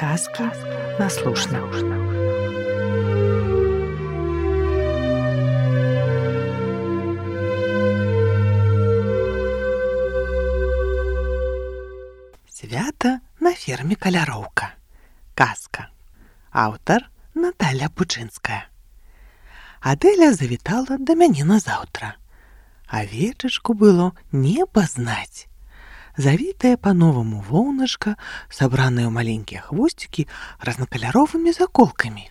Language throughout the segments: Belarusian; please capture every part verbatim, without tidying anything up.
Сказки на слушно. Свята на ферме Каляроўка. Казка. Аўтар Наталя Бучынская. Адэля завітала да мяне назаўтра. Авечачку было не пазнаць. Завітая по-новому воўначка, сабраная ў маленькія хвосцікі разнакаляровымі заколкамі.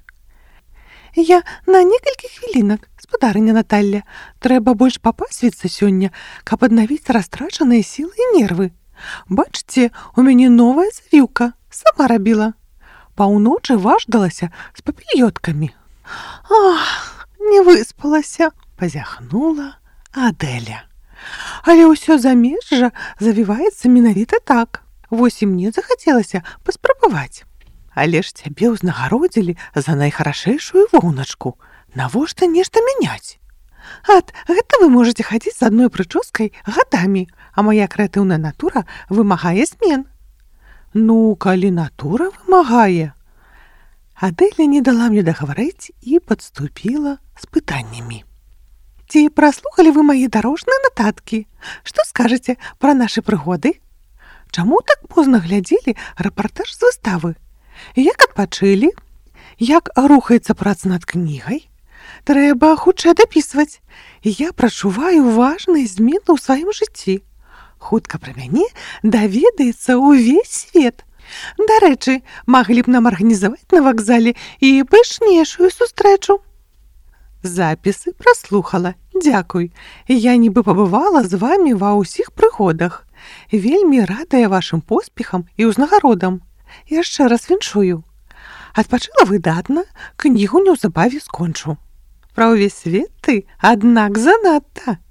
Я на некалькі хвілінак, спадарыня Наталля. Трэба больш папасвіцца сёння, каб аднавіць растрачаныя сілы і нервы. Бачыце, у мяне новая завіўка, сама рабіла. Паўночы важдалася з папільёткамі. Ах, не выспалася, пазяхнула Адэля. Але ўсё замежжа завіваецца менавіта так. Вось і мне захацелася паспрабаваць. Але ж цябе ўзнагародзілі за найхарашэйшую воўначку. Навошта нешта мяняць? Ат, гэта вы можаце хадзіць з адной прычоскай гадамі, а мая крэатыўная натура вымагае змен. Ну, калі натура вымагае. Адэля не дала мне дагаварыць і падступіла з пытаннямі. Ці праслухалі вы мае дарожныя нататкі? Што скажаце пра нашы прыгоды? Чаму так позна глядзелі рэпартаж з выставы? Як адпачылі? Як рухаецца праца над кнігай? Трэба хутчэй дапісваць. Я прачуваю важныя змены ў сваім жыцці. Хутка пра мяне даведаецца ўвесь свет. Дарэчы, маглі б нам арганізаваць на вакзале і пышнейшую сустрэчу. Запісы праслухала. Дзякуй. Я нібы пабывала з вамі ва ўсіх прыгодах. Вельмі радая вашым поспехам і ўзнагародам. Яшчэ раз віншую. Адпачыла выдатна, кнігу неўзабаве скончу. Пра ўвесь свет ты, аднак занадта.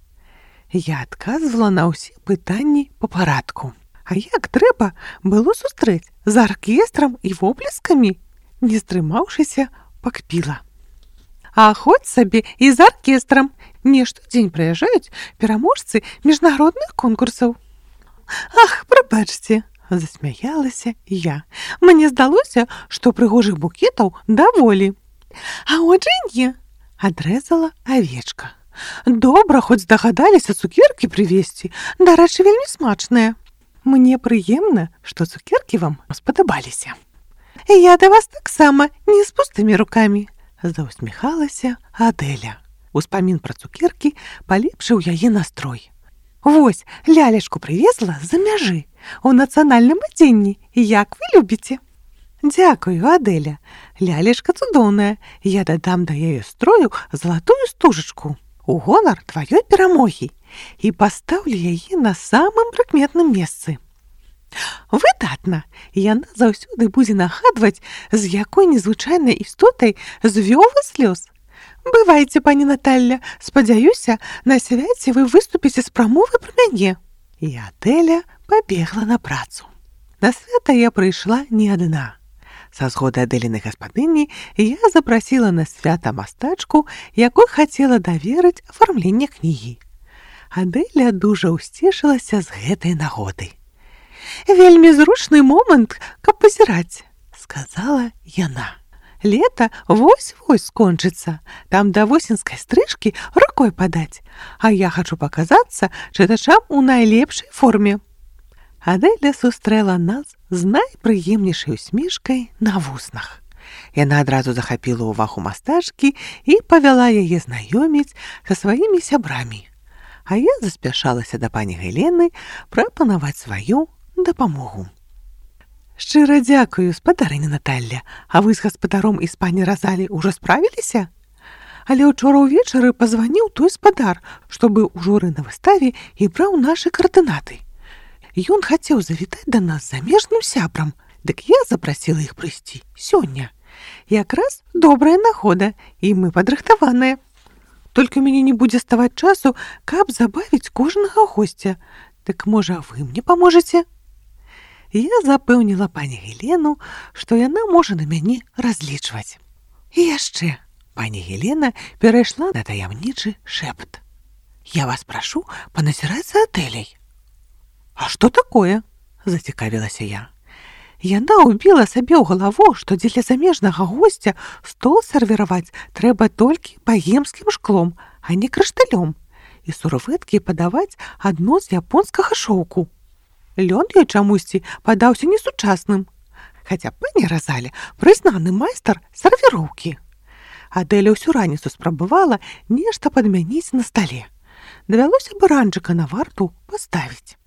Я адказвала на ўсе пытанні па парадку. А як трэба было сустрэць з аркестрам і воплескамі? Не стрымаўшыся, пакпіла. А хоць сабе і з аркестрам. Не штодзень прыязджаюць пераможцы міжнародных конкурсаў. Ах, прабачце, засмяялася я. Мне здалося, што прыгожых букетаў даволі. А отже не, адрэзала авечка. Добра, хоць здагадаліся цукеркі прывезці. Дарэчы, вельмі смачныя. Мне прыемна, што цукеркі вам спадабаліся. Я да вас таксама не з пустымі рукамі. Заўсміхалася Адэля. Успамін пра цукеркі палепшыў яе настрой. Вось, лялечку прывезла з-за мяжы, у нацыянальным адзенні. Як вы любіце? Дзякую, Адэля. Лялечка цудоўная. Я дадам да яе строю залатую стужачку у гонар тваёй перамогі і пастаўлю яе на самым прыкметным месцы. Выдатна! Яна заўсёды будзе нагадваць, з якой незвычайнай істотай звёў вас лёс. Бывайце, пані Наталля, спадзяюся, на свяце вы выступіце з прамовай пра мяне. І Адэля пабегла на працу. На свята я прыйшла не адна. Са згоды Адэлінай гаспадыні я запрасіла на свята мастачку, якой хацела даверыць афармленне кнігі. Адэля дужа ўсцешылася з гэтай нагоды. Вельмі зручны момант, каб пазіраць, сказала яна. Лета вось-вось скончыцца, там да восеньскай стрыжкі рукой падаць, а я хачу паказацца чытачам у найлепшай форме. Адэля сустрэла нас з найпрыемнейшай усмешкай на вуснах. Яна адразу захапіла ўвагу мастачкі і павяла яе знаёміць са сваімі сябрамі. А я заспяшалася да пані Гелены прапанаваць сваю дапамогу. Шчыра дзякую, спадарыня Наталля. А вы з гаспадаром і з пані Разалі ўжо справіліся? Але ўчора ўвечары пазваніў той спадар, што быў у журы на выставе і браў нашы каардынаты. Ён хацеў завітаць да нас замежным сябрам, дык я запрасіла іх прыйсці сёння. Якраз добрая нагода, і мы падрыхтаваныя. Толькі ў мяне не будзе ставаць часу, каб забавіць кожнага госця. Дык, можа, вы мне паможаце? Я запэўніла пані Гелену, што яна можа на мяне разлічваць. І яшчэ пані Гелена перайшла на таямнічы шэпт. Я вас прашу паназіраць за Адэляй. А што такое? Зацікавілася я. Яна ўбіла сабе ў галаву, што дзеля замежнага госця стол сервіраваць трэба толькі багемскім шклом, а не крышталём, і сурвэткі падаваць адно з японскага шоўку. Лён ёй чамусьці падаўся несучасным, хаця пані Разаль прызнаны майстар сервіроўкі. Адэля ўсю раніцу спрабавала нешта падмяніць на стале. Давялося баранчыка на варту паставіць.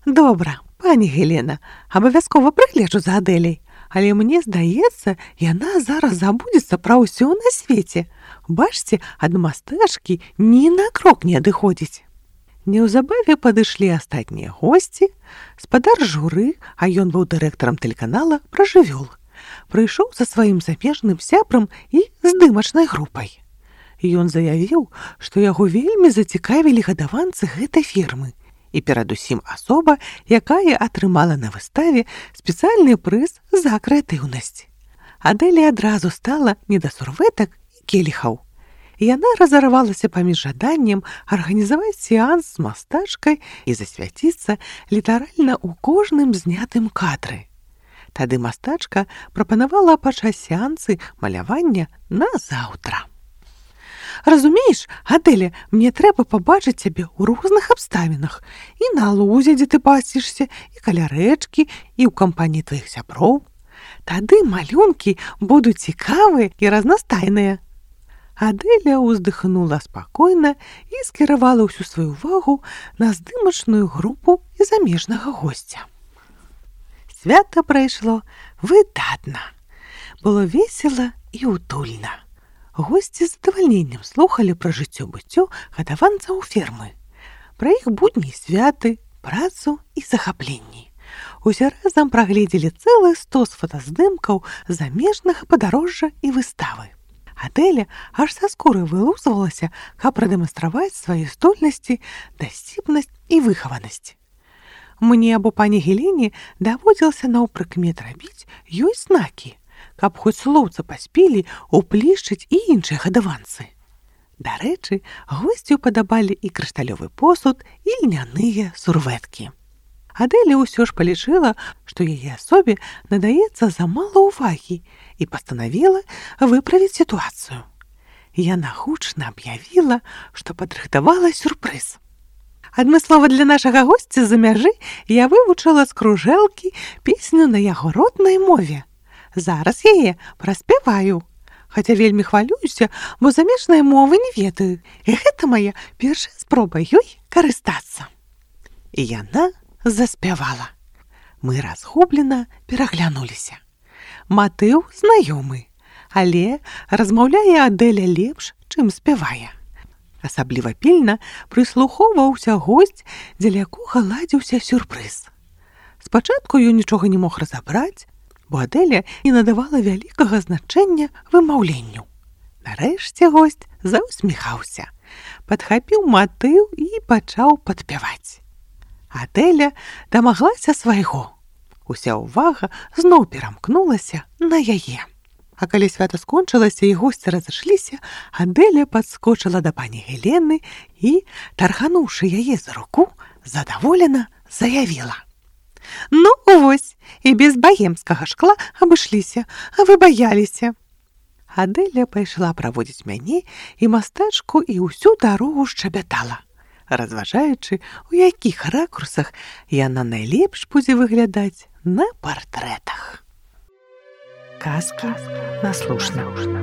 Добра, пані Гелена, абавязкова прыгледжу за Адэлей, але мне здаецца, яна зараз забудзецца пра ўсё на свеце. Бачце, ад мастэчкі ні на крок не адыходзіць. Неўзабаве падышлі астатнія госці. Спадар журы, а ён быў дырэктарам тэлеканала, пра жывёл, прыйшоў са сваім замежным сябрам і здымачнай групай. Ён заявіў, што яго вельмі зацікавілі гадаванцы гэтай фірмы, і перадусім асоба, якая атрымала на выставе спецыяльны прыз за крэатыўнасць. Адэле адразу стала не да сурвэтак і келіхаў. Яна разарвалася паміж жаданнем арганізаваць сеанс з мастачкай і засвяціцца літаральна ў кожным знятым кадры. Тады мастачка прапанавала пачаць сеансы малявання на заўтра. Разумееш, Адэля, мне трэба пабачыць цябе ў розных абставінах. І на лузе, дзе ты пасішся, і каля рэчкі, і ў кампаніі тваіх сяброў. Тады малюнкі будуць цікавыя і разнастайныя. Адэля ўздыхнула спакойна і скіравала ўсю сваю ўвагу на здымачную групу і замежнага госця. Свята прайшло выдатна. Было весела і утульна. Госці з задавальненнем слухалі пра жыццё-быццё гадаванцаў фермы, пра іх будні і святы, працу і захапленні. Усе разам прагледзелі цэлы стос фотаздымкаў замежнага падарожжа і выставы. Адэля аж са скуры вылузвалася, каб прадэманстраваць свае здольнасці, дасціпнасць і выхаванасць. Мне або пані Гелене даводзілася наўпрыкмет рабіць ёй знакі, каб хоць слоўца паспелі ўплішчыць і іншыя гадаванцы. Дарэчы, госцю падабалі і крышталёвы посуд, і льняныя сурвэткі. Адэля ўсё ж палічыла, што яе асобе надаецца замала ўвагі і пастанавіла выправіць сітуацыю. Яна гучна аб'явіла, што падрыхтавала сюрпрыз. Адмыслова для нашага госця з-за мяжы я вывучыла з кружэлкі песню на яго роднай мове. Зараз яе праспяваю, хаця вельмі хвалююся, бо замежнай мовы не ведаю, і гэта мая першая спроба ёй карыстацца. І яна заспявала. Мы разгублена пераглянуліся. Матыў знаёмы, але размаўляе Адэля лепш, чым спявае. Асабліва пільна прыслухоўваўся госць, дзеля якога ладзіўся сюрпрыз. Спачатку ён нічога не мог разабраць, бо Адэля не надавала вялікага значэння вымаўленню. Нарэшце госць заўсміхаўся, падхапіў матыў і пачаў падпяваць. Адэля дамаглася свайго. Уся ўвага зноў перамкнулася на яе. А калі свята скончылася і госці разышліся, Адэля падскочыла да пані Гелены і, таргануўшы яе за руку, задаволена заявіла: «Ну, вось, і без багемскага шкла абышліся, а вы баяліся». Адэля пайшла праводзіць мяне і мастачку і ўсю дарогу шчабятала, разважаючы, у якіх ракурсах яна найлепш будзе выглядаць на партрэтах. Казка наслушна.